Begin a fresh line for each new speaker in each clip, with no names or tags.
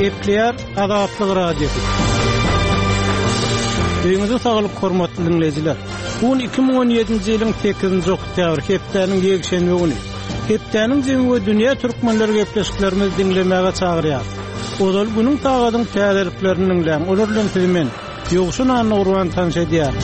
Gepleýär Azatlyk Radiosy. Öýüňize saglyk hormatly diňleýjiler. Bu gün 2017-nji ýylyň 8-nji oktýabry, hepdäniň ýekşenbe güni. Hepdäniň jemi we dünýä türkmenleri gepleşiklerimizi diňlemäge çagyrýar. Ozal günüň sagadyň täzeliklerini diňläň, olar bilen sizi men, Ýowşan Annagurban tanyş edýär.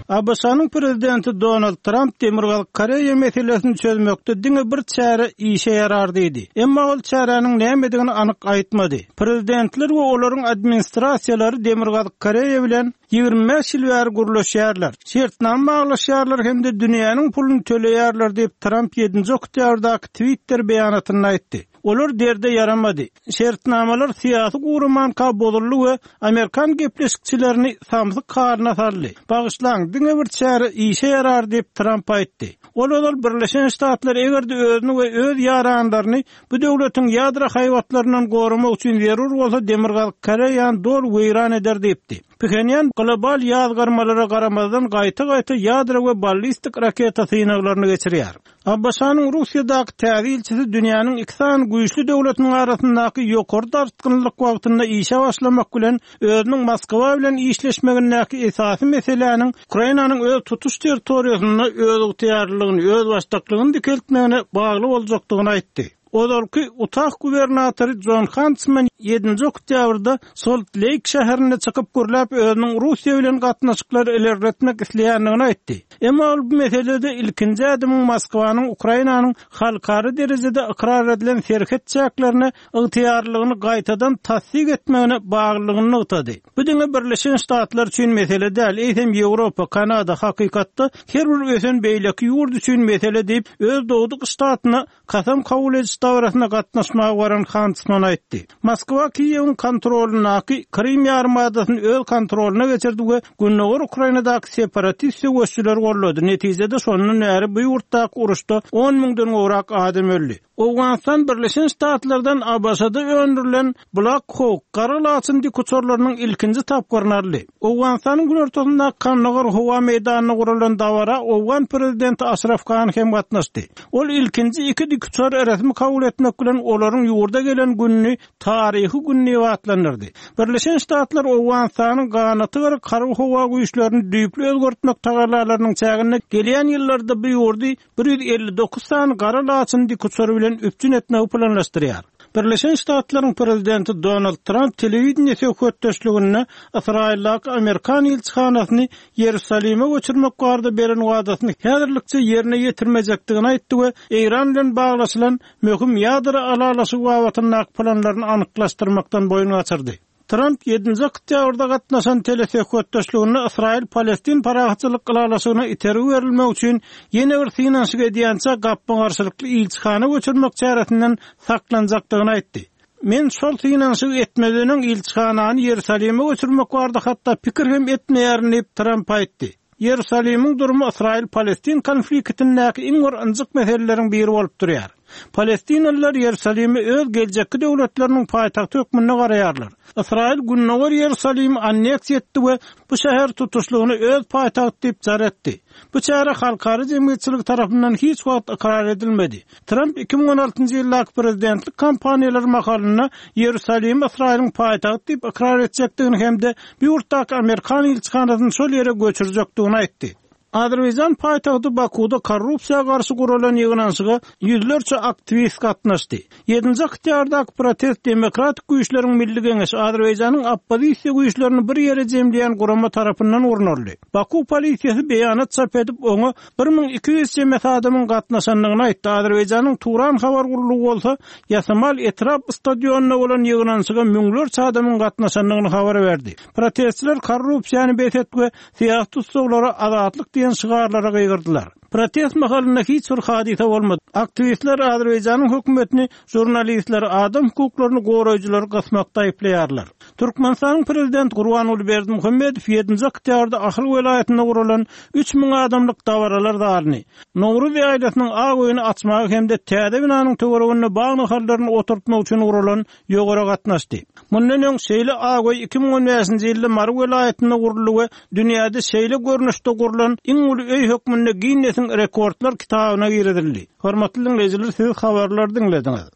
ABŞ-nyň prezidenti Donald Tramp Demirgazyk Koreýa meselesini çözmekde diňe bir çäre işe ýarar diýdi. Emma ol çäräniň nämedigini anyk aýtmady. Prezidentler we olaryň administrasiýalary Demirgazyk Koreýa bilen 25 ýyl bäri gürleşýärler, şertnama baglaşýarlar hem-de dünýäniň puluny töleýärler diýip, Tramp ýedinji oktýabrdaky Twitter beýanatynda aýtdy. Olar derde ýaramady. Şertnamalar syýasy guramanka bozuldy we amerikan gepleşikçilerini samsyk halyna saldy. Bagyşlaň, diňe bir çäre işe ýarar diýip, Tramp aýtdy. Ol ozal Birleşen Ştatlar eger-de özüni we öz ýaranlaryny bu döwletiň ýadro haýbatlaryndan goramak üçin zerur bolsa Demirgazyk Koreýany doly weýran eder diýipdi. Phenýan global ýazgarmalara garamazdan gaýta-gaýta ýadro we ballistik raketa synaglaryny geçirýär. ABŞ-nyň Russiýadaky täze ilçisi dünýäniň iki sany güýçli döwletiniň arasyndaky ýokary dartgynlyk wagtynda işe başlamak bilen, özüniň Moskwa bilen işleşmegindäki esasy meseläniň Ukrainanyň öz tutuş territoriýasynda özygtyýarlylygyny, özbaşdaklygyny dikeltmegine bagly boljakdygyny aýtdy. Ozalky Utah gubernatory Jon Hantsman ýedinji oktýabrda Solt-Leýk şäherinde çykyp gürläp, özüniň Russiýa bilen gatnaşyklary ilerletmek isleýändigini aýtdy. Emma ol bu meselede ilkinji ädimiň Moskwanyň Ukrainanyň halkara derejede ykrar edilen serhet çäklerine ygtyýarlylygyny gaýtadan tassyk etmegine baglylygyny nygtady. Bu diňe Birleşen Ştatlar üçin mesele däl, eýsem Ýewropa, Kanada, hakykatda her bir ösen beýleki ýurt üçin mesele diýip, öz dogduk ştatyna Kasam kabul ediş dabarasyna gatnaşmaga baran Hantsman aýtdy. Moskwa Kiýewiň kontrolyndaky Krym ýarymadasyny öz kontrolyna geçirdi we gündogar Ukrainadaky separatist söweşçileri goldady, netijede şondan bäri bu ýurtdaky uruşda on müňden gowrak adam öldi. Owganystan Birleşen Ştatlardan ABŞ-da öndürilen Black Hawk gara laçyn dikuçarlarynyň ilkinji tapgyryny aldy. Owganystanyň günortasyndaky Kandagar howa meýdanynda guralan dabara owgan prezidenti Aşraf Gani hem gatnaşdy. Ol ilkinji iki dikuçary resmi kabul etmek bilen olaryň ýurda gelen gününi taryhy gün diýip atlandyrdy. Birleşen Ştatlar Owganystanyň ganaty gyryk harby-howa güýçlerini düýpli özgertmek tagallalarynyň çäginde gelýän ýyllarda bu ýurdy 159 sany gara laçyn dikuçary bilen üpjün etmegi planlaşdyrýar. Birleşen Ştatlaryň prezidenti Donald Tramp telewideniýe söhbetdeşliginde Ysraýyldaky amerikan ilçihanasyny Ýerusalime göçürmek barada beren wadasyny häzirlikçe ýerine ýetirmejekdigini aýtdy we Eýran bilen baglaşylan möhüm ýadro ylalaşygy babatyndaky planlaryny anyklaşdyrmakdan boýun gaçyrdy. Tramp ýedinji oktýabrda gatnaşan telesöhbetdeşliginde Ysraýyl-Palestin parahatçylyk ylalaşygyna itergi berilmegi üçin ýene bir synanyşyk edýänçä gapma-garşylykly ilçihana göçürmek çäresinden saklanjakdygyny aýtdy. Men şol synanyşygy etmezden öň ilçihanany Ýerusalime göçürmek barada hatda pikir hem etmeýärin diýip, Tramp aýtdy. Ýerusalimiň durumy Ysraýyl-Palestin konfliktindäki iň bir ynjyk meseleleriň biri bolup durýar. Palestinalylar Ýerusalime öz geljekki döwletleriniň paýtagty hökmünde garaýarlar. Ysraýyl Gündogar Ýerusalimi anneksiýa etdi we bu şäheri tutuşlygyna öz paýtagty diýip jar etdi. Bu çäre halkara jemgyýetçiligi tarapyndan hiç wagt ykrar edilmedi. Tramp 2016-njy ýyldaky prezidentlik kampaniýalary mahalynda Ýerusalimi Ysraýylyň paýtagty diýip ykrar etjekdigini hem-de bu ýurtdaky amerikan ilçihanasyny şol ýere göçürjekdigini aýtdy. Azerbaýjan paýtagty Bakuwda korrupsiýa garşy guralan ýygnanyşyga ýüzlerçe aktiwist gatnaşdy. Ýedinji oktýabrdaky protest Demokratik güýçleriň milli geňeşi Azerbaýjanyň oppozisiýa güýçlerini bir ýere jemleýän gurama tarapyndan gurnaldy. Baku polisiýasy beýanat çap edip, oňa 1200 çemesi adamyň gatnaşandygyny aýtdy, Azerbaýjanyň Turan habar gullugy bolsa Ýasamal etrap stadionynda bolan ýygnanyşyga müňlerçe adamyň gatnaşandygyny habar berdi. Protestçiler korrupsiýany bes et we syýasy tussaglara azatlyk diýen şygarlara gygyrdylar. Protest mahalynda hiç bir hadysa bolmady. Aktiwistler Azerbaýjanyň hökümetini žurnalistleri, adam hukuklaryny goraýjylary gysmakda aýyplaýarlar. Türkmenistanyň Prezidenti Gurbanguly Berdimuhamedow ýedinji oktýabrda Ahal welaýatynda guralan 3000 adamlyk dabaralar zalyny, Nowruz ýaýlasynyň ak öýüni açmaga hem-de täze binanyň töwereginde bag nahallaryny oturtmak üçin guralan ýowara gatnaşdy. Mundan öň şeýle ak öý 2015-nji ýylda Mary welaýatynda guruldy we dünýäde şeýle görnüşde gurlan iň uly öý hökmünde Ginnesiň rekordlar kitabyna girizildi. Hormatly diňleýjiler, siz habarlary diňlediňiz.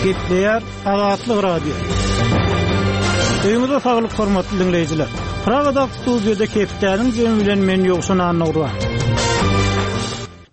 Gepleýär Azatlyk Radiosy. Öýüňize saglyk hormatly diňleýjiler. Pragadaky studiýada hepdäniň jemi bilen men Ýowşan Annagurban.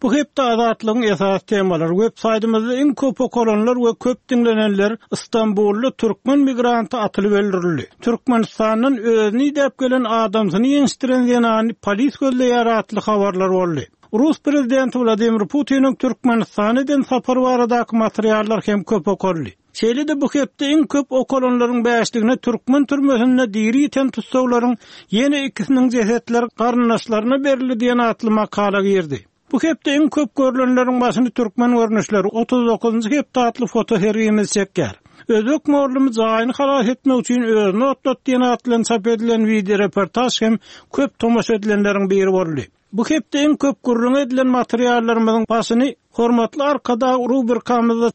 Bu hepde Azatlygyň esasy temalary web saýtymyzda iň köp okalanlar we köp diňlenenler Stambulda türkmen migranty atylyp öldürildi. Türkmenistandan özüni idäp gelen adamsyny ýençdiren zenany polis gözleýär atly habarlar boldy. Rus prezidenti Wladimir Putiniň Türkmenistana eden sapary baradaky materiallar hem köp okaldy. Şeýle-de bu hepde iň köp okalanlaryň bäşligine türkmen türmesinde diri ýiten tussaglaryň ýene ikisiniň jesetleri garyndaşlaryna berildi diýen atly makala girdi. Bu hepde iň köp görlenleriň başyny Türkmen görnüşleri, 39-njy hepde atly fotosergimiz çekýär. Özbek mugallymy jaýyny halas etmek üçin özüni otlat diýen at bilen çap edilen wideoreportaž hem köp tomaşa edilenleriň biri boldy. Bu hepde iň köp gürrüňi edilen materiallarymyzyň başyny Hormatly Arkadag rubrikamyzda.